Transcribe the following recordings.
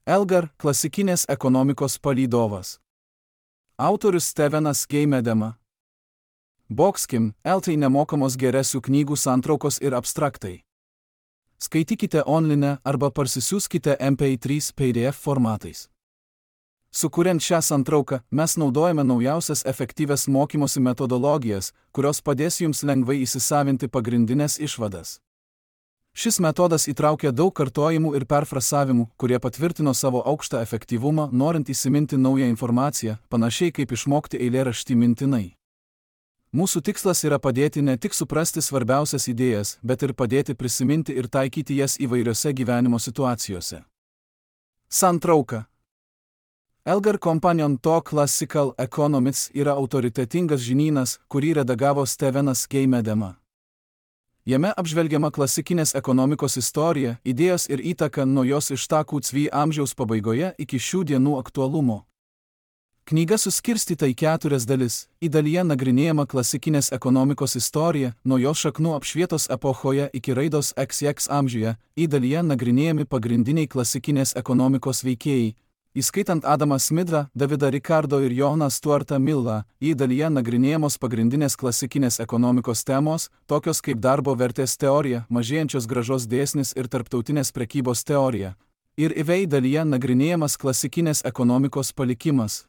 Elgar – klasikinės ekonomikos palydovas. Autorius Stevenas G. Medema. Boxkim – LT nemokamos geresių knygų santraukos ir abstraktai. Skaitykite online arba parsisiųskite MP3 PDF formatais. Sukuriant šią santrauką, mes naudojame naujausias efektyvias mokymosi metodologijas, kurios padės jums lengvai įsisavinti pagrindinės išvadas. Šis metodas įtraukia daug kartojimų ir perfrasavimų, kurie patvirtino savo aukštą efektyvumą, norint įsiminti naują informaciją, panašiai kaip išmokti eilėraštį mintinai. Mūsų tikslas yra padėti ne tik suprasti svarbiausias idėjas, bet ir padėti prisiminti ir taikyti jas įvairiose gyvenimo situacijose. Santrauka. Elgar Companion to Classical Economics yra autoritetingas žinynas, kurį redagavo Stevenas G. Medema. Jame apžvelgiama klasikinės ekonomikos istorija, idėjos ir įtaka nuo jos ištakų CV amžiaus pabaigoje iki šių dienų aktualumo. Knyga suskirstyta į 4 dalis. Į dalyje nagrinėjama klasikinės ekonomikos istorija, nuo jos šaknų apšvietos epochoje iki raidos XX amžiuje. Į dalyje nagrinėjami pagrindiniai klasikinės ekonomikos veikėjai, įskaitant Adamą Smithą, Davidą Ricardo ir Johaną Stuartą Millą. Į dalyje nagrinėjamos pagrindinės klasikinės ekonomikos temos, tokios kaip darbo vertės teorija, mažėjančios grąžos dėsnis ir tarptautinės prekybos teorija. Ir į dalyje nagrinėjamas klasikinės ekonomikos palikimas,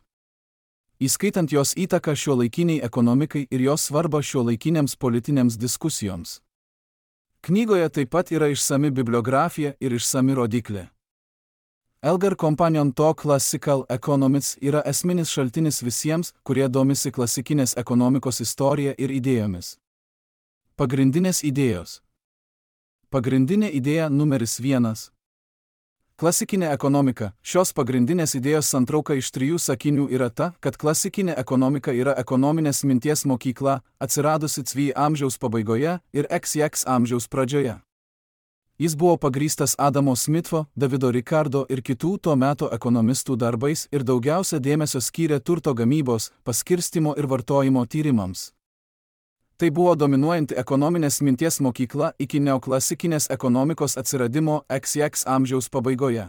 įskaitant jos įtaką šiuolaikiniai ekonomikai ir jos svarbą šiuolaikinėms politinėms diskusijoms. Knygoje taip pat yra išsami bibliografija ir išsami rodiklė. Elgar Companion to Classical Economics yra esminis šaltinis visiems, kurie domisi klasikinės ekonomikos istorija ir idėjomis. Pagrindinės idėjos. Pagrindinė idėja numeris 1. Klasikinė ekonomika. Šios pagrindinės idėjos santrauka iš 3 sakinių yra ta, kad klasikinė ekonomika yra ekonominės minties mokykla, atsiradusi CV amžiaus pabaigoje ir XX amžiaus pradžioje. Jis buvo pagrįstas Adamo Smitho, Davido Ricardo ir kitų to meto ekonomistų darbais ir daugiausia dėmesio skyrė turto gamybos, paskirstymo ir vartojimo tyrimams. Tai buvo dominuojanti ekonominės minties mokykla iki neoklasikinės ekonomikos atsiradimo XX amžiaus pabaigoje.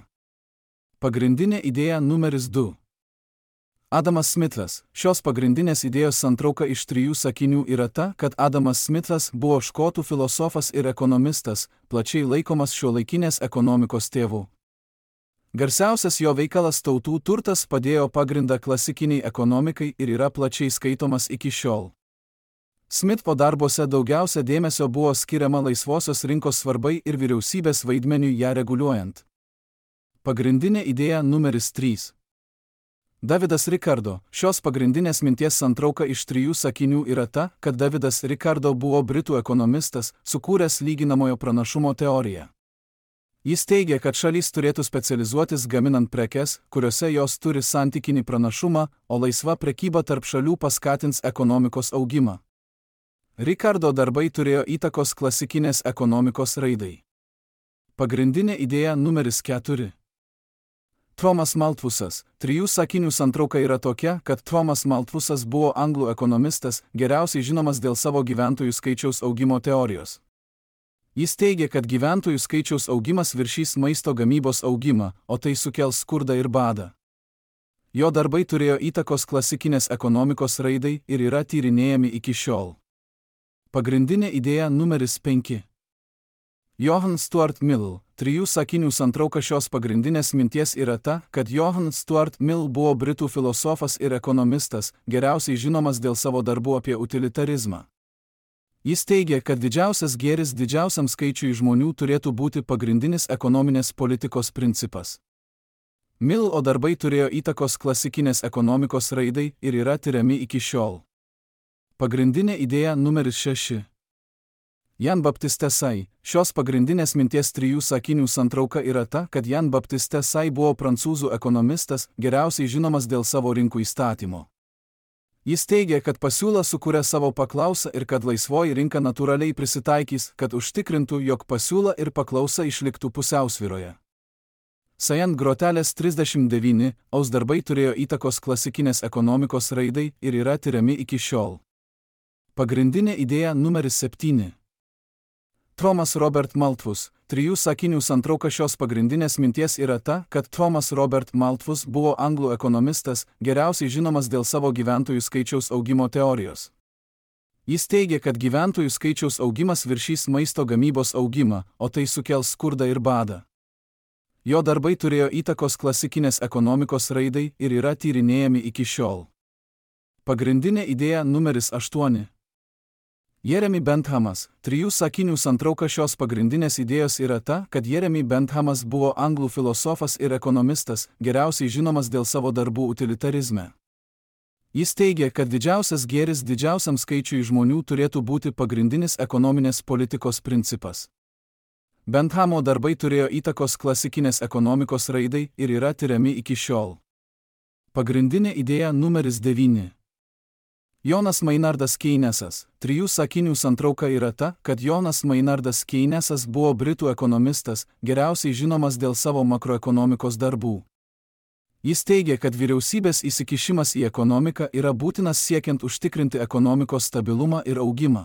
Pagrindinė idėja numeris 2. Adamas Smithas. Šios pagrindinės idėjos santrauka iš 3 sakinių yra ta, kad Adamas Smithas buvo škotų filosofas ir ekonomistas, plačiai laikomas šiuolaikinės ekonomikos tėvu. Garsiausias jo veikalas Tautų turtas padėjo pagrindą klasikiniai ekonomikai ir yra plačiai skaitomas iki šiol. Smitho darbuose daugiausia dėmesio buvo skiriama laisvosios rinkos svarbai ir vyriausybės vaidmeniui ją reguliuojant. Pagrindinė idėja numeris 3. Davidas Ricardo. Šios pagrindinės minties santrauka iš 3 sakinių yra ta, kad Davidas Ricardo buvo britų ekonomistas, sukūręs lyginamojo pranašumo teoriją. Jis teigia, kad šalys turėtų specializuotis gaminant prekes, kuriuose jos turi santykinį pranašumą, o laisva prekyba tarp šalių paskatins ekonomikos augimą. Ricardo darbai turėjo įtakos klasikinės ekonomikos raidai. Pagrindinė idėja numeris 4. Thomas Malthusas. 3 sakinių santrauka yra tokia, kad Thomas Malthusas buvo anglų ekonomistas, geriausiai žinomas dėl savo gyventojų skaičiaus augimo teorijos. Jis teigia, kad gyventojų skaičiaus augimas viršys maisto gamybos augimą, o tai sukels skurdą ir badą. Jo darbai turėjo įtakos klasikinės ekonomikos raidai ir yra tyrinėjami iki šiol. Pagrindinė idėja numeris 5. Johann Stuart Mill. 3 sakinių santrauka šios pagrindinės minties yra ta, kad Johann Stuart Mill buvo britų filosofas ir ekonomistas, geriausiai žinomas dėl savo darbų apie utilitarizmą. Jis teigia, kad didžiausias gėris didžiausiam skaičiui žmonių turėtų būti pagrindinis ekonominės politikos principas. Mill darbai turėjo įtakos klasikinės ekonomikos raidai ir yra tiriami iki šiol. Pagrindinė idėja numeris 6. Jan Baptiste Say. Šios pagrindinės minties 3 sakinių santrauka yra ta, kad Jan Baptiste Say buvo prancūzų ekonomistas, geriausiai žinomas dėl savo rinkų įstatymo. Jis teigia, kad pasiūla sukuria savo paklausą ir kad laisvoji rinka natūraliai prisitaikys, kad užtikrintų, jog pasiūla ir paklausa išliktų pusiausvyroje. Sajant grotelės 39, darbai turėjo įtakos klasikinės ekonomikos raidai ir yra tiriami iki šiol. Pagrindinė idėja numeris 7. Thomas Robert Malthus. trijų sakinių santrauka šios pagrindinės minties yra ta, kad Thomas Robert Malthus buvo anglų ekonomistas, geriausiai žinomas dėl savo gyventojų skaičiaus augimo teorijos. Jis teigia, kad gyventojų skaičiaus augimas viršys maisto gamybos augimą, o tai sukels skurdą ir badą. Jo darbai turėjo įtakos klasikinės ekonomikos raidai ir yra tyrinėjami iki šiol. Pagrindinė idėja numeris 8. Jeremy Benthamas, trijų sakinių santrauka šios pagrindinės idėjos yra ta, kad Jeremy Benthamas buvo anglų filosofas ir ekonomistas, geriausiai žinomas dėl savo darbų utilitarizme. Jis teigia, kad didžiausias gėris didžiausiam skaičiui žmonių turėtų būti pagrindinis ekonominės politikos principas. Benthamo darbai turėjo įtakos klasikinės ekonomikos raidai ir yra tiriami iki šiol. Pagrindinė idėja numeris 9. Jonas Maynardas Keynesas, trijų sakinių santrauka yra ta, kad Jonas Maynardas Keynesas buvo britų ekonomistas, geriausiai žinomas dėl savo makroekonomikos darbų. Jis teigia, kad vyriausybės įsikišimas į ekonomiką yra būtinas siekiant užtikrinti ekonomikos stabilumą ir augimą.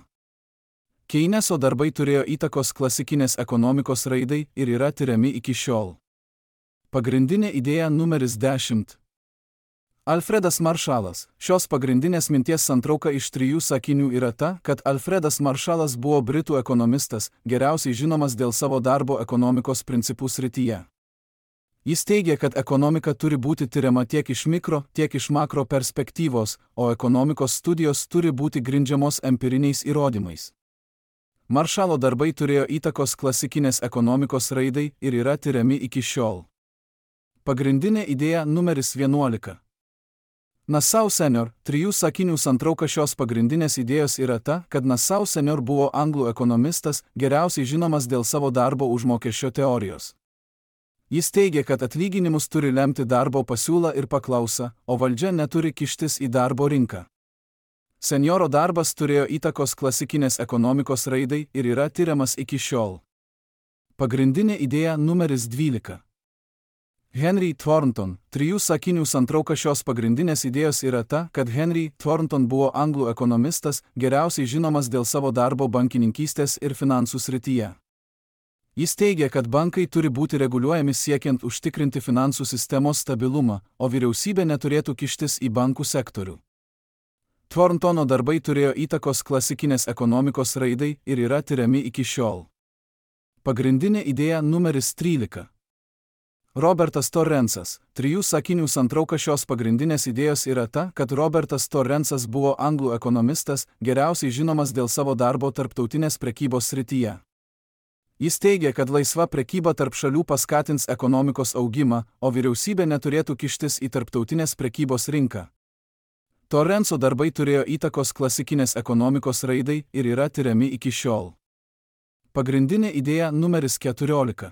Keyneso darbai turėjo įtakos klasikinės ekonomikos raidai ir yra tiriami iki šiol. Pagrindinė idėja numeris 10. Alfredas Maršalas, šios pagrindinės minties santrauka iš trijų sakinių yra ta, kad Alfredas Maršalas buvo britų ekonomistas, geriausiai žinomas dėl savo darbo ekonomikos principų srityje. Jis teigia, kad ekonomika turi būti tiriama tiek iš mikro, tiek iš makro perspektyvos, o ekonomikos studijos turi būti grindžiamos empiriniais įrodymais. Maršalo darbai turėjo įtakos klasikinės ekonomikos raidai ir yra tiriami iki šiol. Pagrindinė idėja numeris 11. Nassau senior, trijų sakinių santrauka šios pagrindinės idėjos yra ta, kad Nassau senior buvo anglų ekonomistas, geriausiai žinomas dėl savo darbo užmokesčio teorijos. Jis teigia, kad atlyginimus turi lemti darbo pasiūla ir paklausa, o valdžia neturi kištis į darbo rinką. Senjoro darbas turėjo įtakos klasikinės ekonomikos raidai ir yra tiriamas iki šiol. Pagrindinė idėja numeris 12. Henry Thornton, trijų sakinių santrauka šios pagrindinės idėjos yra ta, kad Henry Thornton buvo anglų ekonomistas, geriausiai žinomas dėl savo darbo bankininkystės ir finansų srityje. Jis teigia, kad bankai turi būti reguliuojami siekiant užtikrinti finansų sistemos stabilumą, o vyriausybė neturėtų kištis į bankų sektorių. Thorntono darbai turėjo įtakos klasikinės ekonomikos raidai ir yra tiriami iki šiol. Pagrindinė idėja numeris 13. Robertas Torrensas, trijų sakinių santrauka šios pagrindinės idėjos yra ta, kad Robertas Torrensas buvo anglų ekonomistas, geriausiai žinomas dėl savo darbo tarptautinės prekybos srityje. Jis teigia, kad laisva prekyba tarp šalių paskatins ekonomikos augimą, o vyriausybė neturėtų kištis į tarptautinės prekybos rinką. Torrenso darbai turėjo įtakos klasikinės ekonomikos raidai ir yra tiriami iki šiol. Pagrindinė idėja numeris 14.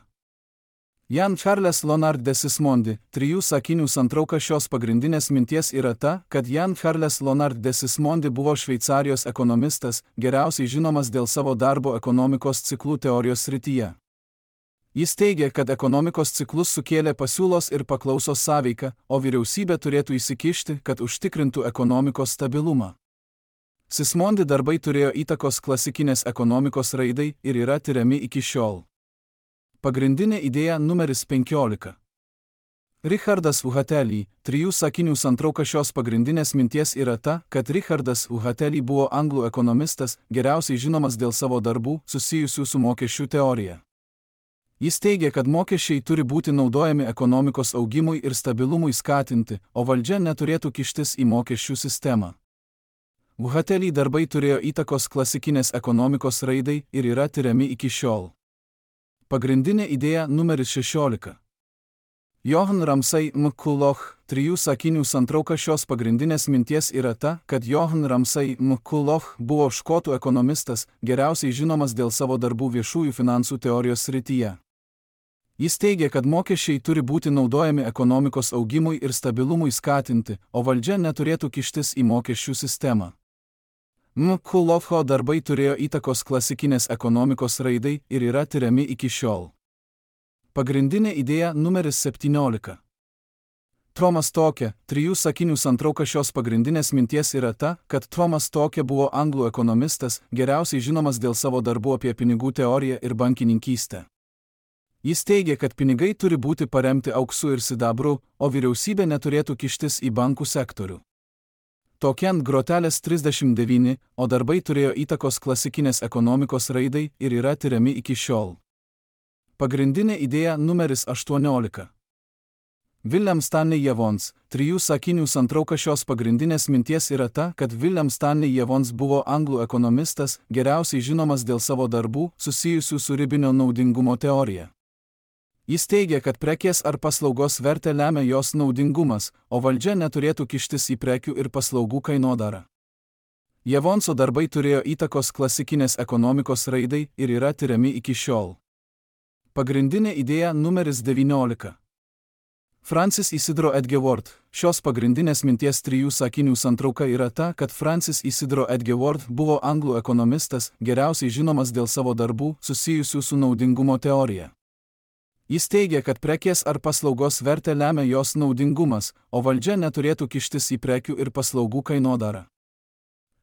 Jan Charles Leonard de Sismondi, trijų sakinių santrauka šios pagrindinės minties yra ta, kad Jan Charles Leonard de Sismondi buvo Šveicarijos ekonomistas, geriausiai žinomas dėl savo darbo ekonomikos ciklų teorijos srityje. Jis teigia, kad ekonomikos ciklus sukėlė pasiūlos ir paklausos sąveika, o vyriausybė turėtų įsikišti, kad užtikrintų ekonomikos stabilumą. Sismondi darbai turėjo įtakos klasikinės ekonomikos raidai ir yra tiriami iki šiol. Pagrindinė idėja numeris 15. Richardas Uhatelli, trijų sakinių santrauka šios pagrindinės minties yra ta, kad Richardas Uhatelli buvo anglų ekonomistas, geriausiai žinomas dėl savo darbų susijusių su mokesčių teorija. Jis teigia, kad mokesčiai turi būti naudojami ekonomikos augimui ir stabilumui skatinti, o valdžia neturėtų kištis į mokesčių sistemą. Uhatelli darbai turėjo įtakos klasikinės ekonomikos raidai ir yra tiriami iki šiol. Pagrindinė idėja numeris 16. Johan Ramsay McCulloch, trijų sakinių santrauka šios pagrindinės minties yra ta, kad Johan Ramsay McCulloch buvo škotų ekonomistas, geriausiai žinomas dėl savo darbų viešųjų finansų teorijos srityje. Jis teigia, kad mokesčiai turi būti naudojami ekonomikos augimui ir stabilumui skatinti, o valdžia neturėtų kištis į mokesčių sistemą. McCullocho darbai turėjo įtakos klasikinės ekonomikos raidai ir yra tiriami iki šiol. Pagrindinė idėja numeris 17. Thomas Tocqueville, trijų sakinių santrauka šios pagrindinės minties yra ta, kad Thomas Tocqueville buvo anglų ekonomistas, geriausiai žinomas dėl savo darbų apie pinigų teoriją ir bankininkystę. Jis teigia, kad pinigai turi būti paremti auksu ir sidabru, o vyriausybė neturėtų kištis į bankų sektorių. Tokiant grotelės 39, o darbai turėjo įtakos klasikinės ekonomikos raidai ir yra tiriami iki šiol. Pagrindinė idėja numeris 18. William Stanley Jevons, 3 sakinių santrauka šios pagrindinės minties yra ta, kad William Stanley Jevons buvo anglų ekonomistas, geriausiai žinomas dėl savo darbų susijusių su ribinio naudingumo teorija. Jis teigia, kad prekės ar paslaugos vertę lemia jos naudingumas, o valdžia neturėtų kištis į prekių ir paslaugų kainodarą. Jevonso darbai turėjo įtakos klasikinės ekonomikos raidai ir yra tiriami iki šiol. Pagrindinė idėja numeris 19. Francis Isidro Edgeworth. Šios pagrindinės minties 3 sakinių santrauka yra ta, kad Francis Isidro Edgeworth buvo anglų ekonomistas, geriausiai žinomas dėl savo darbų susijusių su naudingumo teorija. Jis teigia, kad prekės ar paslaugos vertę lemia jos naudingumas, o valdžia neturėtų kištis į prekių ir paslaugų kainodarą.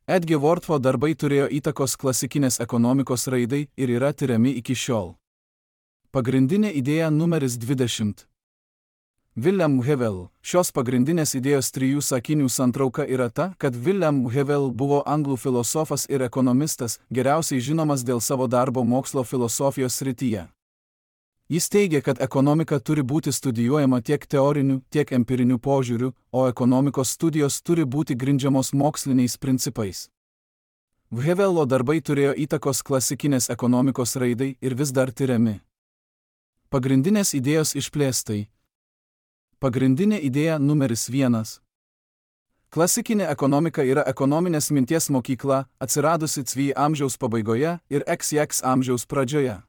Edgewortho darbai turėjo įtakos klasikinės ekonomikos raidai ir yra tiriami iki šiol. Pagrindinė idėja numeris 20. William Hewell. Šios pagrindinės idėjos 3 sakinių santrauka yra ta, kad William Hewell buvo anglų filosofas ir ekonomistas, geriausiai žinomas dėl savo darbo mokslo filosofijos srityje. Jis teigia, kad ekonomika turi būti studijuojama tiek teoriniu, tiek empiriniu požiūriu, o ekonomikos studijos turi būti grindžiamos moksliniais principais. Hevello darbai turėjo įtakos klasikinės ekonomikos raidai ir vis dar tiriami. Pagrindinės idėjos išplėstai. Pagrindinė idėja numeris 1. Klasikinė ekonomika yra ekonominės minties mokykla, atsiradusi XV amžiaus pabaigoje ir XX amžiaus pradžioje.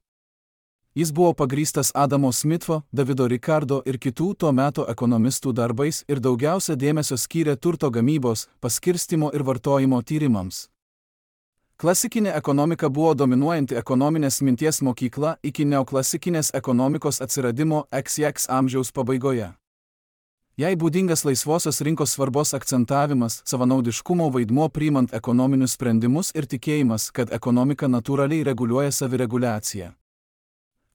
Jis buvo pagrįstas Adamo Smitho, Davido Ricardo ir kitų to meto ekonomistų darbais ir daugiausia dėmesio skyrė turto gamybos, paskirstymo ir vartojimo tyrimams. Klasikinė ekonomika buvo dominuojanti ekonominės minties mokykla iki neoklasikinės ekonomikos atsiradimo XX amžiaus pabaigoje. Jai būdingas laisvosios rinkos svarbos akcentavimas, savanaudiškumo vaidmuo priimant ekonominius sprendimus ir tikėjimas, kad ekonomika natūraliai reguliuoja savireguliaciją.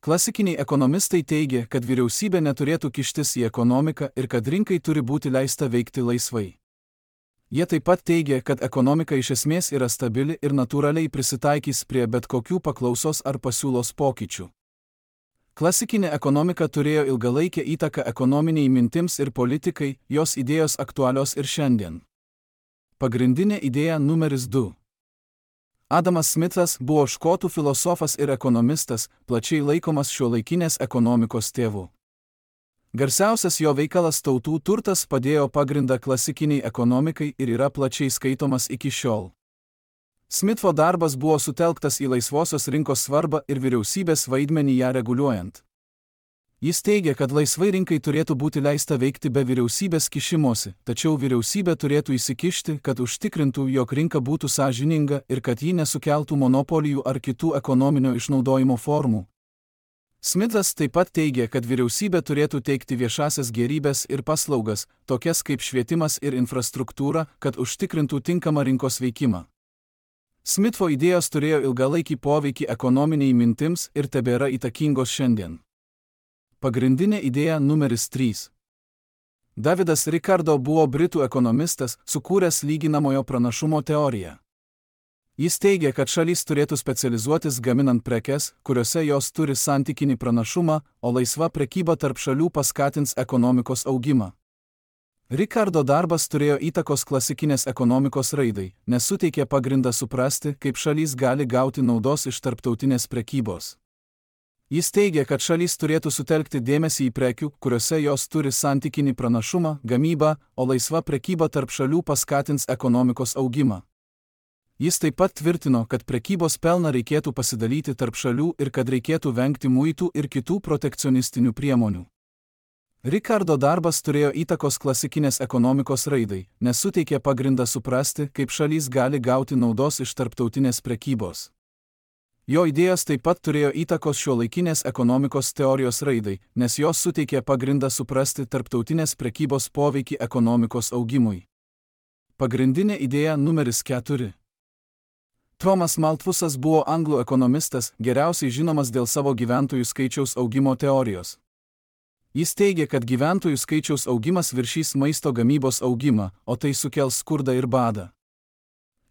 Klasikiniai ekonomistai teigia, kad vyriausybė neturėtų kištis į ekonomiką ir kad rinkai turi būti leista veikti laisvai. Jie taip pat teigia, kad ekonomika iš esmės yra stabili ir natūraliai prisitaikys prie bet kokių paklausos ar pasiūlos pokyčių. Klasikinė ekonomika turėjo ilgalaikę įtaką ekonominiai mintims ir politikai, jos idėjos aktualios ir šiandien. Pagrindinė idėja numeris 2. Adamas Smithas buvo škotų filosofas ir ekonomistas, plačiai laikomas šiuolaikinės ekonomikos tėvu. Garsiausias jo veikalas Tautų turtas padėjo pagrindą klasikiniai ekonomikai ir yra plačiai skaitomas iki šiol. Smitho darbas buvo sutelktas į laisvosios rinkos svarbą ir vyriausybės vaidmenį ją reguliuojant. Jis teigia, kad laisvai rinkai turėtų būti leista veikti be vyriausybės kišimosi, tačiau vyriausybė turėtų įsikišti, kad užtikrintų, jog rinka būtų sąžininga ir kad ji nesukeltų monopolijų ar kitų ekonominio išnaudojimo formų. Smithas taip pat teigia, kad vyriausybė turėtų teikti viešasias gėrybes ir paslaugas, tokias kaip švietimas ir infrastruktūra, kad užtikrintų tinkamą rinkos veikimą. Smitho idėjos turėjo ilgalaikį poveikį ekonominiai mintims ir tebėra įtakingos šiandien. Pagrindinė idėja numeris 3. Davidas Ricardo buvo britų ekonomistas, sukūręs lyginamojo pranašumo teoriją. Jis teigia, kad šalis turėtų specializuotis gaminant prekes, kuriuose jos turi santykinį pranašumą, o laisva prekyba tarp šalių paskatins ekonomikos augimą. Ricardo darbas turėjo įtakos klasikinės ekonomikos raidai, nes suteikė pagrindą suprasti, kaip šalis gali gauti naudos iš tarptautinės prekybos. Jis teigia, kad šalis turėtų sutelkti dėmesį į prekių, kuriuose jos turi santykinį pranašumą, gamybą, o laisva prekyba tarp šalių paskatins ekonomikos augimą. Jis taip pat tvirtino, kad prekybos pelną reikėtų pasidalyti tarp šalių ir kad reikėtų vengti muitų ir kitų protekcionistinių priemonių. Ricardo darbas turėjo įtakos klasikinės ekonomikos raidai, nes suteikė pagrindą suprasti, kaip šalis gali gauti naudos iš tarptautinės prekybos. Jo idėjos taip pat turėjo įtakos šiuolaikinės ekonomikos teorijos raidai, nes jos suteikė pagrindą suprasti tarptautinės prekybos poveikį ekonomikos augimui. Pagrindinė idėja numeris 4. Thomas Malthusas buvo anglų ekonomistas, geriausiai žinomas dėl savo gyventojų skaičiaus augimo teorijos. Jis teigia, kad gyventojų skaičiaus augimas viršys maisto gamybos augimą, o tai sukels skurdą ir badą.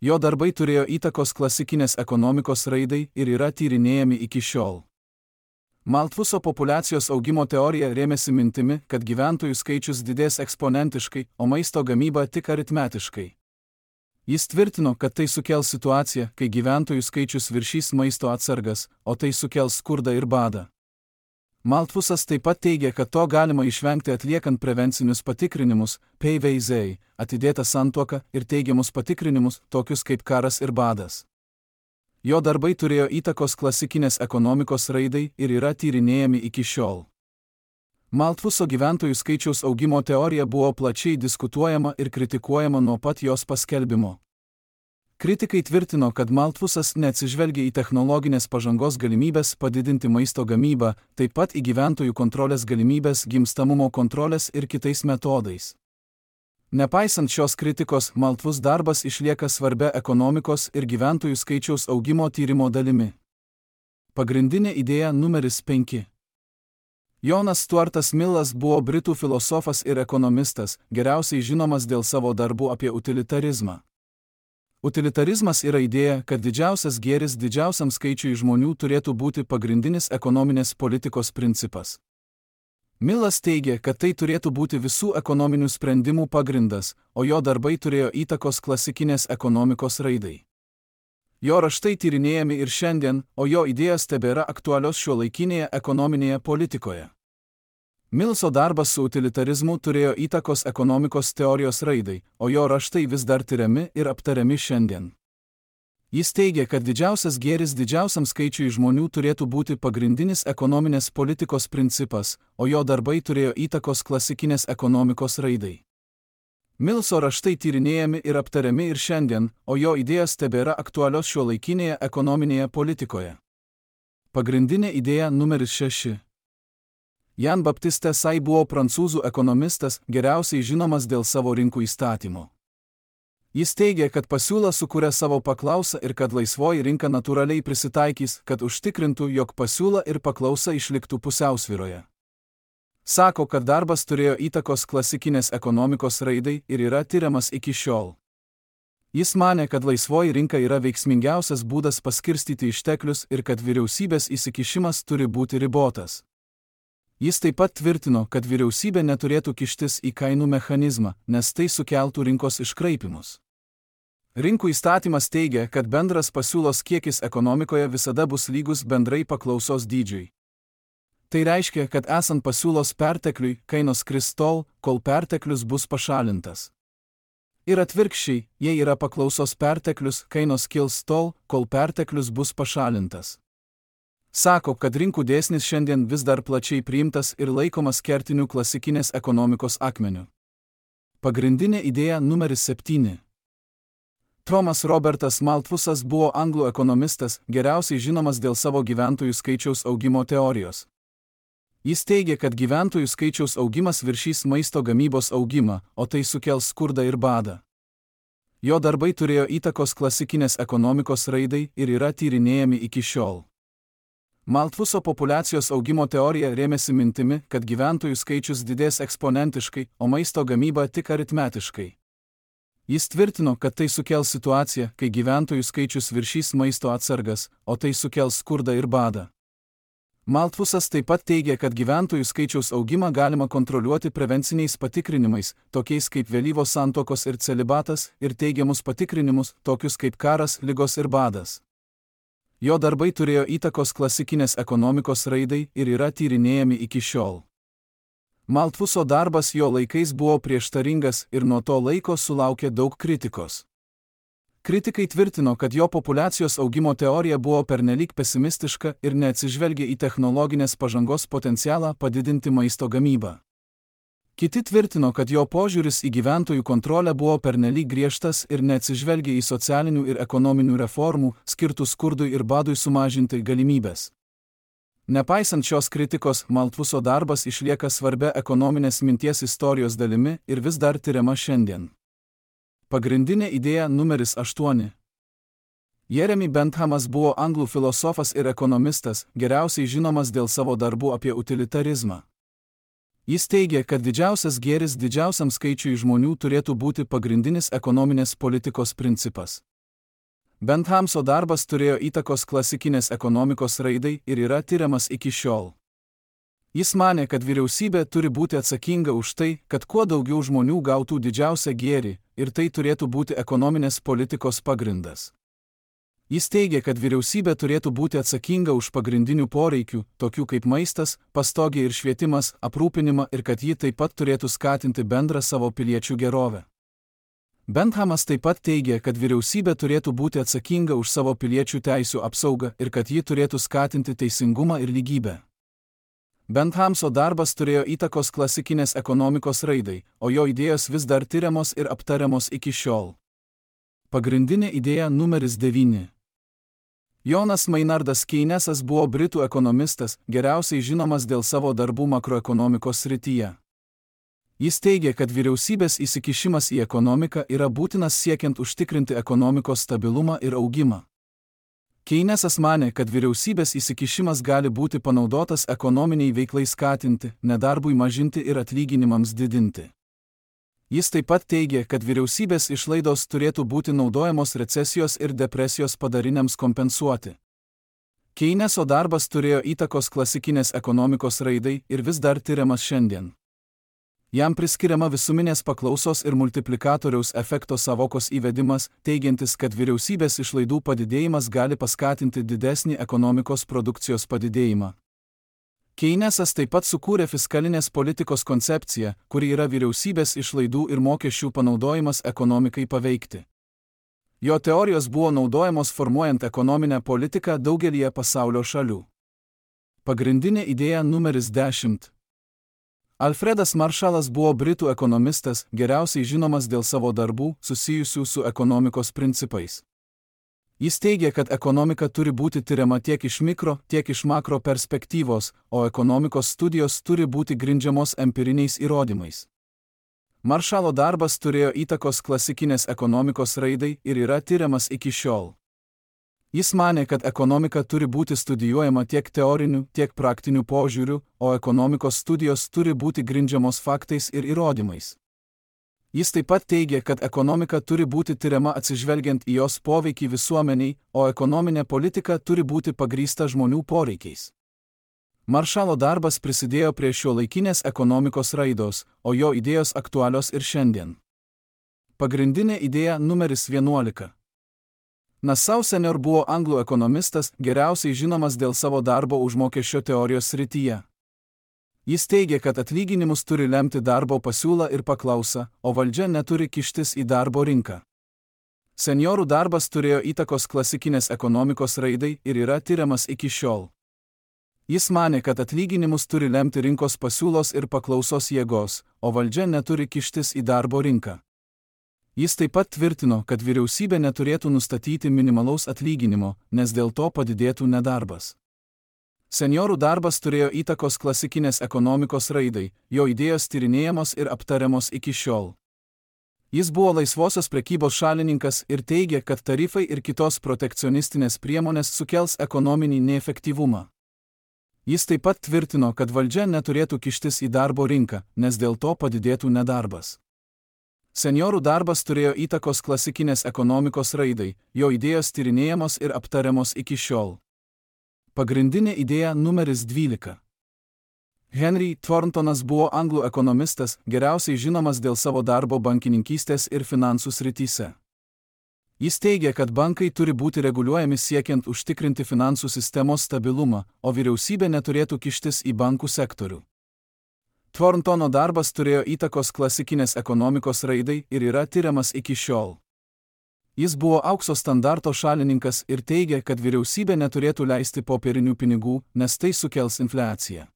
Jo darbai turėjo įtakos klasikinės ekonomikos raidai ir yra tyrinėjami iki šiol. Malthuso populiacijos augimo teorija rėmėsi mintimi, kad gyventojų skaičius didės eksponentiškai, o maisto gamyba tik aritmetiškai. Jis tvirtino, kad tai sukels situaciją, kai gyventojų skaičius viršys maisto atsargas, o tai sukels skurdą ir badą. Malthusas taip pat teigia, kad to galima išvengti atliekant prevencinius patikrinimus, PVZ, atidėtą santuoką ir teigiamus patikrinimus, tokius kaip karas ir badas. Jo darbai turėjo įtakos klasikinės ekonomikos raidai ir yra tyrinėjami iki šiol. Malthuso gyventojų skaičiaus augimo teorija buvo plačiai diskutuojama ir kritikuojama nuo pat jos paskelbimo. Kritikai tvirtino, kad Malthusas neatsižvelgia į technologinės pažangos galimybės padidinti maisto gamybą, taip pat į gyventojų kontrolės galimybės gimstamumo kontrolės ir kitais metodais. Nepaisant šios kritikos, Malthus darbas išlieka svarbia ekonomikos ir gyventojų skaičiaus augimo tyrimo dalimi. Pagrindinė idėja numeris 5. Jonas Stuartas Millas buvo britų filosofas ir ekonomistas, geriausiai žinomas dėl savo darbų apie utilitarizmą. Utilitarizmas yra idėja, kad didžiausias gėris didžiausiam skaičiui žmonių turėtų būti pagrindinis ekonominės politikos principas. Millas teigia, kad tai turėtų būti visų ekonominių sprendimų pagrindas, o jo darbai turėjo įtakos klasikinės ekonomikos raidai. Jo raštai tyrinėjami ir šiandien, o jo idėjos tebėra aktualios šiuolaikinėje ekonominėje politikoje. Millso darbas su utilitarizmu turėjo įtakos ekonomikos teorijos raidai, o jo raštai vis dar tiriami ir aptariami šiandien. Jis teigia, kad didžiausias gėris didžiausiam skaičiui žmonių turėtų būti pagrindinis ekonominės politikos principas, o jo darbai turėjo įtakos klasikinės ekonomikos raidai. Millso raštai tyrinėjami ir aptariami ir šiandien, o jo idėjos tebėra aktualios šiuolaikinėje ekonominėje politikoje. Pagrindinė idėja numeris 6. Jan Baptiste Say buvo prancūzų ekonomistas, geriausiai žinomas dėl savo rinkų įstatymų. Jis teigia, kad pasiūla sukuria savo paklausą ir kad laisvoji rinka natūraliai prisitaikys, kad užtikrintų, jog pasiūla ir paklausa išliktų pusiausvyroje. Sako, kad darbas turėjo įtakos klasikinės ekonomikos raidai ir yra tiriamas iki šiol. Jis manė, kad laisvoji rinka yra veiksmingiausias būdas paskirstyti išteklius ir kad vyriausybės įsikišimas turi būti ribotas. Jis taip pat tvirtino, kad vyriausybė neturėtų kištis į kainų mechanizmą, nes tai sukeltų rinkos iškraipimus. Rinkų įstatymas teigia, kad bendras pasiūlos kiekis ekonomikoje visada bus lygus bendrai paklausos dydžiui. Tai reiškia, kad esant pasiūlos pertekliui, kainos kris tol, kol perteklius bus pašalintas. Ir atvirkščiai, jei yra paklausos perteklius, kainos kils tol, kol perteklius bus pašalintas. Sako, kad rinkų dėsnis šiandien vis dar plačiai priimtas ir laikomas kertiniu klasikinės ekonomikos akmeniu. Pagrindinė idėja numeris 7. Thomas Robertas Malthusas buvo anglų ekonomistas, geriausiai žinomas dėl savo gyventojų skaičiaus augimo teorijos. Jis teigia, kad gyventojų skaičiaus augimas viršys maisto gamybos augimą, o tai sukels skurdą ir badą. Jo darbai turėjo įtakos klasikinės ekonomikos raidai ir yra tyrinėjami iki šiol. Malthuso populiacijos augimo teorija rėmėsi mintimi, kad gyventojų skaičius didės eksponentiškai, o maisto gamyba tik aritmetiškai. Jis tvirtino, kad tai sukels situaciją, kai gyventojų skaičius viršys maisto atsargas, o tai sukels skurdą ir badą. Malthusas taip pat teigia, kad gyventojų skaičiaus augimą galima kontroliuoti prevenciniais patikrinimais, tokiais kaip vėlyvos santuokos ir celibatas, ir teigiamus patikrinimus, tokius kaip karas, ligos ir badas. Jo darbai turėjo įtakos klasikinės ekonomikos raidai ir yra tyrinėjami iki šiol. Malthuso darbas jo laikais buvo prieštaringas ir nuo to laiko sulaukė daug kritikos. Kritikai tvirtino, kad jo populiacijos augimo teorija buvo pernelyg pesimistiška ir neatsižvelgė į technologinės pažangos potencialą padidinti maisto gamybą. Kiti tvirtino, kad jo požiūris į gyventojų kontrolę buvo pernelyg griežtas ir neatsižvelgė į socialinių ir ekonominių reformų, skirtų skurdui ir badui sumažinti galimybės. Nepaisant šios kritikos, Malthuso darbas išlieka svarbia ekonominės minties istorijos dalimi ir vis dar tiriama šiandien. Pagrindinė idėja numeris 8. Jeremy Benthamas buvo anglų filosofas ir ekonomistas, geriausiai žinomas dėl savo darbų apie utilitarizmą. Jis teigia, kad didžiausias gėris didžiausiam skaičiui žmonių turėtų būti pagrindinis ekonominės politikos principas. Benthamso darbas turėjo įtakos klasikinės ekonomikos raidai ir yra tiriamas iki šiol. Jis manė, kad vyriausybė turi būti atsakinga už tai, kad kuo daugiau žmonių gautų didžiausią gėrį, ir tai turėtų būti ekonominės politikos pagrindas. Jis teigia, kad vyriausybė turėtų būti atsakinga už pagrindinių poreikių, tokių kaip maistas, pastogė ir švietimas, aprūpinimą ir kad ji taip pat turėtų skatinti bendrą savo piliečių gerovę. Benthamas taip pat teigia, kad vyriausybė turėtų būti atsakinga už savo piliečių teisių apsaugą ir kad ji turėtų skatinti teisingumą ir lygybę. Benthamso darbas turėjo įtakos klasikinės ekonomikos raidai, o jo idėjos vis dar tiriamos ir aptariamos iki šiol. Pagrindinė idėja numeris 9. Jonas Maynardas Keynesas buvo britų ekonomistas, geriausiai žinomas dėl savo darbų makroekonomikos srityje. Jis teigia, kad vyriausybės įsikišimas į ekonomiką yra būtinas siekiant užtikrinti ekonomikos stabilumą ir augimą. Keynesas manė, kad vyriausybės įsikišimas gali būti panaudotas ekonominiai veiklai skatinti, nedarbui mažinti ir atlyginimams didinti. Jis taip pat teigia, kad vyriausybės išlaidos turėtų būti naudojamos recesijos ir depresijos padariniams kompensuoti. Keyneso darbas turėjo įtakos klasikinės ekonomikos raidai ir vis dar tiriamas šiandien. Jam priskiriama visuminės paklausos ir multiplikatoriaus efekto savokos įvedimas, teigiantis, kad vyriausybės išlaidų padidėjimas gali paskatinti didesnį ekonomikos produkcijos padidėjimą. Keynesas taip pat sukūrė fiskalinės politikos koncepciją, kuri yra vyriausybės išlaidų ir mokesčių panaudojimas ekonomikai paveikti. Jo teorijos buvo naudojamos formuojant ekonominę politiką daugelyje pasaulio šalių. Pagrindinė idėja numeris 10. Alfredas Marshallas buvo britų ekonomistas, geriausiai žinomas dėl savo darbų susijusių su ekonomikos principais. Jis teigia, kad ekonomika turi būti tiriama tiek iš mikro, tiek iš makro perspektyvos, o ekonomikos studijos turi būti grindžiamos empiriniais įrodymais. Maršalo darbas turėjo įtakos klasikinės ekonomikos raidai ir yra tiriamas iki šiol. Jis manė, kad ekonomika turi būti studijuojama tiek teoriniu, tiek praktiniu požiūriu, o ekonomikos studijos turi būti grindžiamos faktais ir įrodymais. Jis taip pat teigia, kad ekonomika turi būti tiriama atsižvelgiant į jos poveikį visuomeniai, o ekonominė politika turi būti pagrįsta žmonių poreikiais. Maršalo darbas prisidėjo prie šiuolaikinės ekonomikos raidos, o jo idėjos aktualios ir šiandien. Pagrindinė idėja numeris 11. Nassau senior buvo anglų ekonomistas, geriausiai žinomas dėl savo darbo užmokesčio teorijos srityje. Jis teigia, kad atlyginimus turi lemti darbo pasiūla ir paklausa, o valdžia neturi kištis į darbo rinką. Seniorų darbas turėjo įtakos klasikinės ekonomikos raidai ir yra tiriamas iki šiol. Jis manė, kad atlyginimus turi lemti rinkos pasiūlos ir paklausos jėgos, o valdžia neturi kištis į darbo rinką. Jis taip pat tvirtino, kad vyriausybė neturėtų nustatyti minimalaus atlyginimo, nes dėl to padidėtų nedarbas. Seniorų darbas turėjo įtakos klasikinės ekonomikos raidai, jo idėjos tyrinėjamos ir aptariamos iki šiol. Jis buvo laisvosios prekybos šalininkas ir teigia, kad tarifai ir kitos protekcionistinės priemonės sukels ekonominį neefektyvumą. Jis taip pat tvirtino, kad valdžia neturėtų kištis į darbo rinką, nes dėl to padidėtų nedarbas. Seniorų darbas turėjo įtakos klasikinės ekonomikos raidai, jo idėjos tyrinėjamos ir aptariamos iki šiol. Pagrindinė idėja numeris 12. Henry Thorntonas buvo anglų ekonomistas, geriausiai žinomas dėl savo darbo bankininkystės ir finansų srityse. Jis teigia, kad bankai turi būti reguliuojami siekiant užtikrinti finansų sistemos stabilumą, o vyriausybė neturėtų kištis į bankų sektorių. Thorntono darbas turėjo įtakos klasikinės ekonomikos raidai ir yra tiriamas iki šiol. Jis buvo aukso standarto šalininkas ir teigia, kad vyriausybė neturėtų leisti popierinių pinigų, nes tai sukels infliaciją.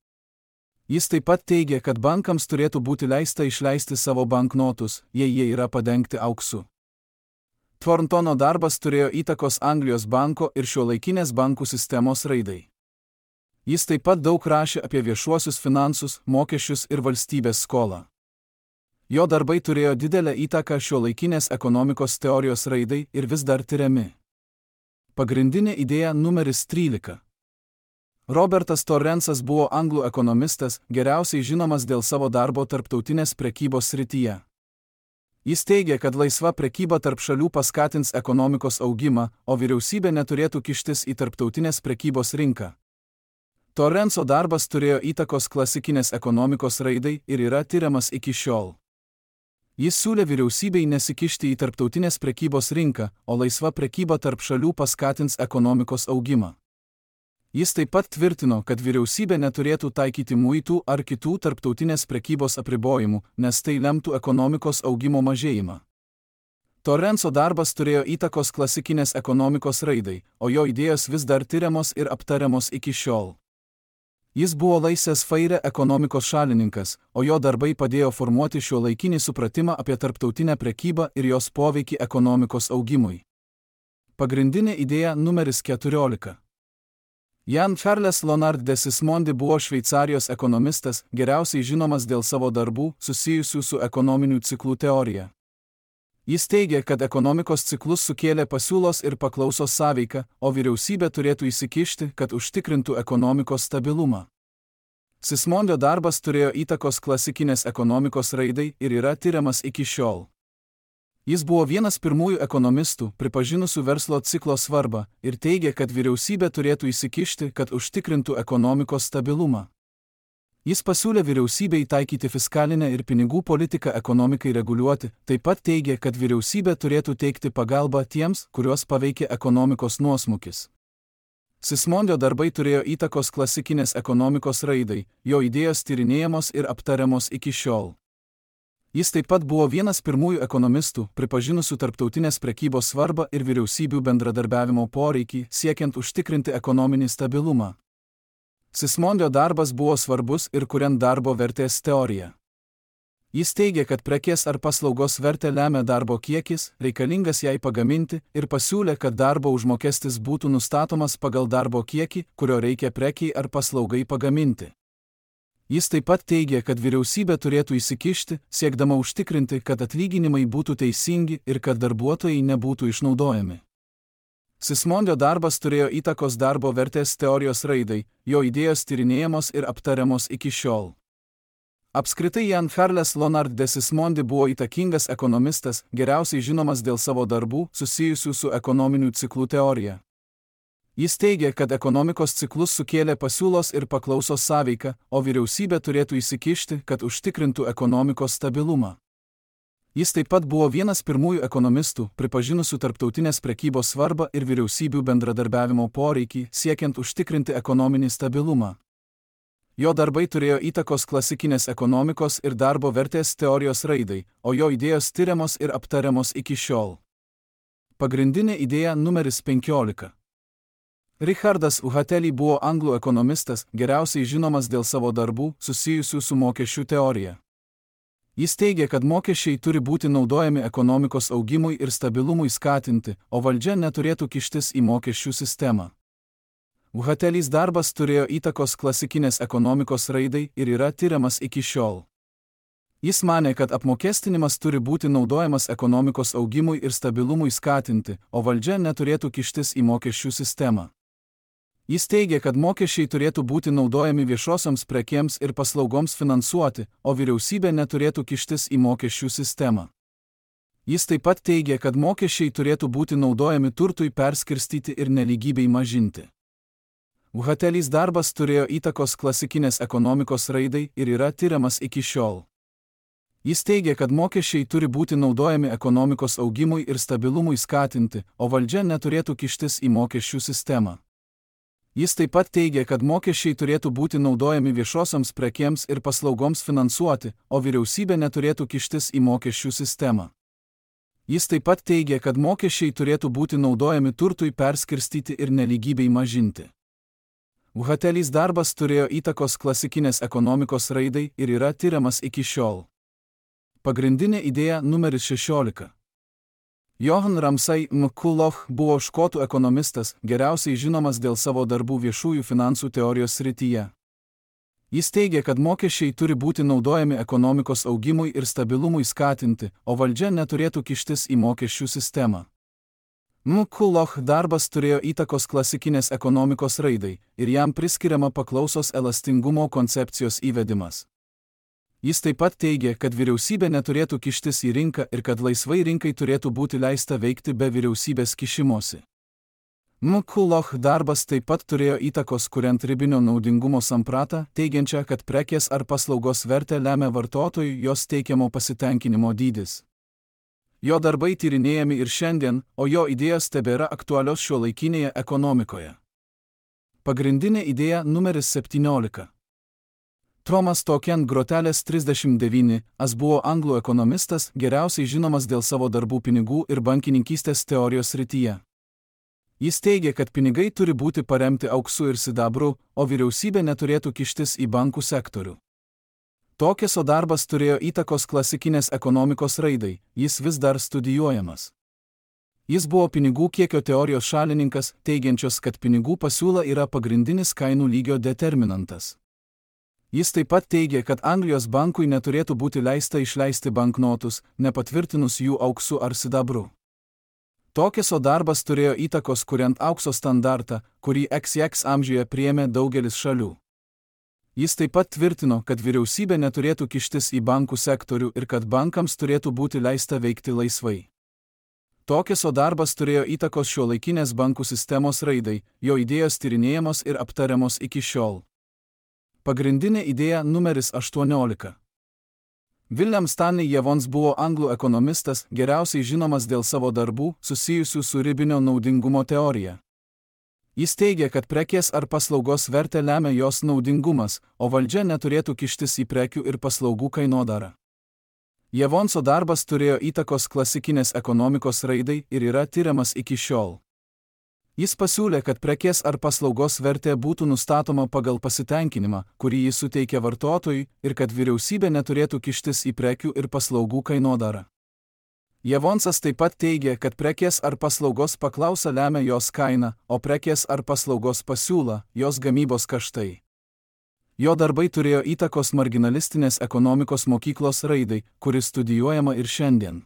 Jis taip pat teigia, kad bankams turėtų būti leista išleisti savo banknotus, jei jie yra padengti auksu. Thorntono darbas turėjo įtakos Anglijos banko ir šiuolaikinės bankų sistemos raidai. Jis taip pat daug rašė apie viešuosius finansus, mokesčius ir valstybės skolą. Jo darbai turėjo didelę įtaką šiuolaikinės ekonomikos teorijos raidai ir vis dar tiriami. Pagrindinė idėja numeris 13. Robertas Torrensas buvo anglų ekonomistas, geriausiai žinomas dėl savo darbo tarptautinės prekybos srityje. Jis teigia, kad laisva prekyba tarp šalių paskatins ekonomikos augimą, o vyriausybė neturėtų kištis į tarptautinės prekybos rinką. Torrenso darbas turėjo įtakos klasikinės ekonomikos raidai ir yra tiriamas iki šiol. Jis siūlė vyriausybei nesikišti į tarptautinės prekybos rinką, o laisva prekyba tarp šalių paskatins ekonomikos augimą. Jis taip pat tvirtino, kad vyriausybė neturėtų taikyti muitų ar kitų tarptautinės prekybos apribojimų, nes tai lemtų ekonomikos augimo mažėjimą. Torrenso darbas turėjo įtakos klasikinės ekonomikos raidai, o jo idėjos vis dar tiriamos ir aptariamos iki šiol. Jis buvo laissez-faire ekonomikos šalininkas, o jo darbai padėjo formuoti šiuolaikinį supratimą apie tarptautinę prekybą ir jos poveikį ekonomikos augimui. Pagrindinė idėja numeris 14. Jean-Charles Lonard de Sismondi buvo Šveicarijos ekonomistas, geriausiai žinomas dėl savo darbų susijusių su ekonominių ciklų teorija. Jis teigia, kad ekonomikos ciklus sukėlė pasiūlos ir paklausos sąveika, o vyriausybė turėtų įsikišti, kad užtikrintų ekonomikos stabilumą. Sismondio darbas turėjo įtakos klasikinės ekonomikos raidai ir yra tiriamas iki šiol. Jis buvo vienas pirmųjų ekonomistų, pripažinusių verslo ciklo svarbą, ir teigia, kad vyriausybė turėtų įsikišti, kad užtikrintų ekonomikos stabilumą. Jis pasiūlė vyriausybei taikyti fiskalinę ir pinigų politiką ekonomikai reguliuoti, taip pat teigė, kad vyriausybė turėtų teikti pagalbą tiems, kuriuos paveikė ekonomikos nuosmukis. Sismondio darbai turėjo įtakos klasikinės ekonomikos raidai, jo idėjos tyrinėjamos ir aptariamos iki šiol. Jis taip pat buvo vienas pirmųjų ekonomistų, pripažinusių tarptautinės prekybos svarbą ir vyriausybių bendradarbiavimo poreikį, siekiant užtikrinti ekonominį stabilumą. Sismondio darbas buvo svarbus ir kuriant darbo vertės teoriją. Jis teigia, kad prekės ar paslaugos vertę lemia darbo kiekis, reikalingas jai pagaminti, ir pasiūlė, kad darbo užmokestis būtų nustatomas pagal darbo kiekį, kurio reikia prekiai ar paslaugai pagaminti. Jis taip pat teigia, kad vyriausybė turėtų įsikišti, siekdama užtikrinti, kad atlyginimai būtų teisingi ir kad darbuotojai nebūtų išnaudojami. Sismondio darbas turėjo įtakos darbo vertės teorijos raidai, jo idėjos tyrinėjamos ir aptariamos iki šiol. Apskritai Jean-Charles Lonard de Sismondi buvo įtakingas ekonomistas, geriausiai žinomas dėl savo darbų susijusių su ekonominių ciklų teorija. Jis teigia, kad ekonomikos ciklus sukėlė pasiūlos ir paklausos sąveika, o vyriausybė turėtų įsikišti, kad užtikrintų ekonomikos stabilumą. Jis taip pat buvo vienas pirmųjų ekonomistų, pripažinusių tarptautinės prekybos svarbą ir vyriausybių bendradarbiavimo poreikį, siekiant užtikrinti ekonominį stabilumą. Jo darbai turėjo įtakos klasikinės ekonomikos ir darbo vertės teorijos raidai, o jo idėjos tiriamos ir aptariamos iki šiol. Pagrindinė idėja numeris 15. Richardas Uhatelli buvo anglų ekonomistas, geriausiai žinomas dėl savo darbų susijusių su mokesčių teorija. Jis teigia, kad mokesčiai turi būti naudojami ekonomikos augimui ir stabilumui skatinti, o valdžia neturėtų kištis į mokesčių sistemą. Uhatelis darbas turėjo įtakos klasikinės ekonomikos raidai ir yra tiriamas iki šiol. Jis manė, kad apmokestinimas turi būti naudojamas ekonomikos augimui ir stabilumui skatinti, o valdžia neturėtų kištis į mokesčių sistemą. Jis teigia, kad mokesčiai turėtų būti naudojami viešosioms prekėms ir paslaugoms finansuoti, o vyriausybė neturėtų kištis į mokesčių sistemą. Jis taip pat teigia, kad mokesčiai turėtų būti naudojami turtui perskirstyti ir nelygybei mažinti. Uhatelis darbas turėjo įtakos klasikinės ekonomikos raidai ir yra tiriamas iki šiol. Jis teigia, kad mokesčiai turi būti naudojami ekonomikos augimui ir stabilumui skatinti, o valdžia neturėtų kištis į mokesčių sistemą. Jis taip pat teigia, kad mokesčiai turėtų būti naudojami viešosioms prekėms ir paslaugoms finansuoti, o vyriausybė neturėtų kištis į mokesčių sistemą. Jis taip pat teigia, kad mokesčiai turėtų būti naudojami turtui perskirstyti ir nelygybei mažinti. Uhatelis darbas turėjo įtakos klasikinės ekonomikos raidai ir yra tiriamas iki šiol. Pagrindinė idėja numeris 16. Johan Ramsay McCulloch buvo škotų ekonomistas, geriausiai žinomas dėl savo darbų viešųjų finansų teorijos srityje. Jis teigia, kad mokesčiai turi būti naudojami ekonomikos augimui ir stabilumui skatinti, o valdžia neturėtų kištis į mokesčių sistemą. McCulloch darbas turėjo įtakos klasikinės ekonomikos raidai ir jam priskiriama paklausos elastingumo koncepcijos įvedimas. Jis taip pat teigė, kad vyriausybė neturėtų kištis į rinką ir kad laisvai rinkai turėtų būti leista veikti be vyriausybės kišimosi. McCulloch darbas taip pat turėjo įtakos kuriant ribinio naudingumo sampratą, teigiančią, kad prekės ar paslaugos vertę lemia vartotojui jos teikiamo pasitenkinimo dydis. Jo darbai tyrinėjami ir šiandien, o jo idėjos tebėra aktualios šiuolaikinėje ekonomikoje. Pagrindinė idėja numeris 17. Thomas Token Grotelės 39 buvo anglų ekonomistas, geriausiai žinomas dėl savo darbų pinigų ir bankininkystės teorijos srityje. Jis teigė, kad pinigai turi būti paremti auksu ir sidabru, o vyriausybė neturėtų kištis į bankų sektorių. Tokeso darbas turėjo įtakos klasikinės ekonomikos raidai, jis vis dar studijuojamas. Jis buvo pinigų kiekio teorijos šalininkas, teigiančios, kad pinigų pasiūla yra pagrindinis kainų lygio determinantas. Jis taip pat teigė, kad Anglijos bankui neturėtų būti leista išleisti banknotus, nepatvirtinus jų auksu ar sidabru. Tokeso darbas turėjo įtakos kuriant aukso standartą, kurį XX amžiuje priėmė daugelis šalių. Jis taip pat tvirtino, kad vyriausybė neturėtų kištis į bankų sektorių ir kad bankams turėtų būti leista veikti laisvai. Tokeso darbas turėjo įtakos šiuolaikinės bankų sistemos raidai, jo idėjos tyrinėjamos ir aptariamos iki šiol. Pagrindinė idėja numeris 18. William Stanley Jevons buvo anglų ekonomistas, geriausiai žinomas dėl savo darbų, susijusių su ribinio naudingumo teorija. Jis teigia, kad prekės ar paslaugos vertę lemia jos naudingumas, o valdžia neturėtų kištis į prekių ir paslaugų kainodarą. Jevonso darbas turėjo įtakos klasikinės ekonomikos raidai ir yra tiriamas iki šiol. Jis pasiūlė, kad prekės ar paslaugos vertė būtų nustatoma pagal pasitenkinimą, kurį jis suteikia vartotojui, ir kad vyriausybė neturėtų kištis į prekių ir paslaugų kainodarą. Jevonsas taip pat teigė, kad prekės ar paslaugos paklausa lemia jos kainą, o prekės ar paslaugos pasiūla jos gamybos kaštai. Jo darbai turėjo įtakos marginalistinės ekonomikos mokyklos raidai, kuri studijuojama ir šiandien.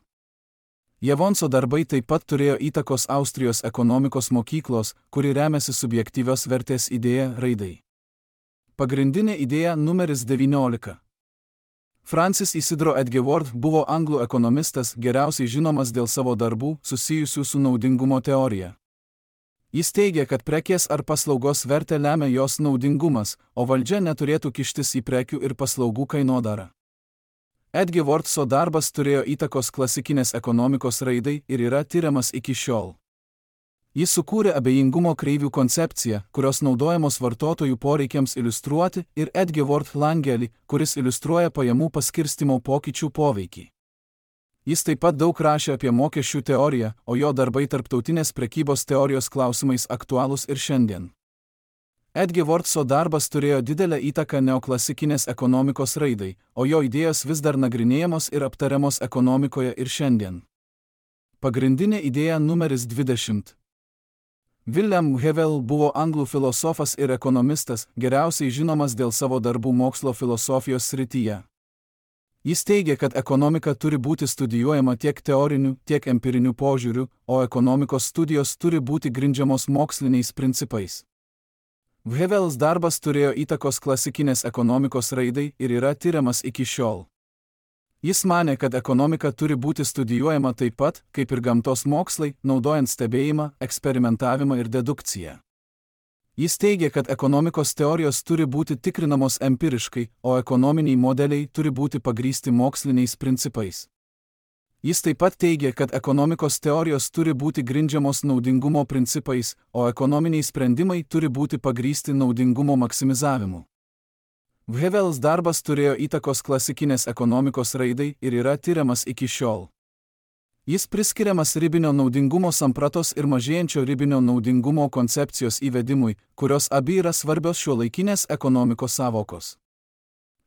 Jevonso darbai taip pat turėjo įtakos Austrijos ekonomikos mokyklos, kuri remiasi subjektyvios vertės idėja raidai. Pagrindinė idėja numeris 19. Francis Isidro Edgeworth buvo anglų ekonomistas, geriausiai žinomas dėl savo darbų, susijusių su naudingumo teorija. Jis teigia, kad prekės ar paslaugos vertę lemia jos naudingumas, o valdžia neturėtų kištis į prekių ir paslaugų kainodarą. Edgeworthso darbas turėjo įtakos klasikinės ekonomikos raidai ir yra tiriamas iki šiol. Jis sukūrė abejingumo kreivių koncepciją, kurios naudojamos vartotojų poreikiams iliustruoti, ir Edgeworth langelį, kuris iliustruoja pajamų paskirstimo pokyčių poveikį. Jis taip pat daug rašė apie mokesčių teoriją, o jo darbai tarptautinės prekybos teorijos klausimais aktualūs ir šiandien. Edgeworthso darbas turėjo didelę įtaką neoklasikinės ekonomikos raidai, o jo idėjos vis dar nagrinėjamos ir aptariamos ekonomikoje ir šiandien. Pagrindinė idėja numeris 20. William Hewell buvo anglų filosofas ir ekonomistas, geriausiai žinomas dėl savo darbų mokslo filosofijos srityje. Jis teigia, kad ekonomika turi būti studijuojama tiek teoriniu, tiek empiriniu požiūriu, o ekonomikos studijos turi būti grindžiamos moksliniais principais. Hewells darbas turėjo įtakos klasikinės ekonomikos raidai ir yra tiriamas iki šiol. Jis manė, kad ekonomika turi būti studijuojama taip pat, kaip ir gamtos mokslai, naudojant stebėjimą, eksperimentavimą ir dedukciją. Jis teigia, kad ekonomikos teorijos turi būti tikrinamos empiriškai, o ekonominiai modeliai turi būti pagrįsti moksliniais principais. Jis taip pat teigia, kad ekonomikos teorijos turi būti grindžiamos naudingumo principais, o ekonominiai sprendimai turi būti pagrįsti naudingumo maksimizavimu. Hewells darbas turėjo įtakos klasikinės ekonomikos raidai ir yra tiriamas iki šiol. Jis priskiriamas ribinio naudingumo sampratos ir mažėjančio ribinio naudingumo koncepcijos įvedimui, kurios abi yra svarbios šiuolaikinės ekonomikos sąvokos.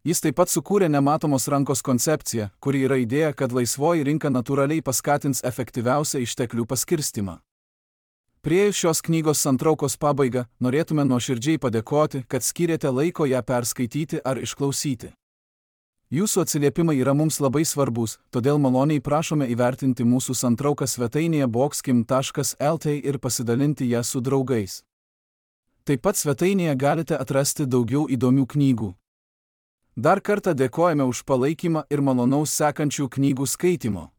Jis taip pat sukūrė nematomos rankos koncepciją, kuri yra idėja, kad laisvoji rinka natūraliai paskatins efektyviausią išteklių paskirstimą. Priėjus šios knygos santraukos pabaigą, norėtume nuoširdžiai padėkoti, kad skyrėte laiko ją perskaityti ar išklausyti. Jūsų atsiliepimai yra mums labai svarbus, todėl maloniai prašome įvertinti mūsų santrauką svetainėje boxkim.lt ir pasidalinti ją su draugais. Taip pat svetainėje galite atrasti daugiau įdomių knygų. Dar kartą dėkojame už palaikymą ir malonaus sekančių knygų skaitymo.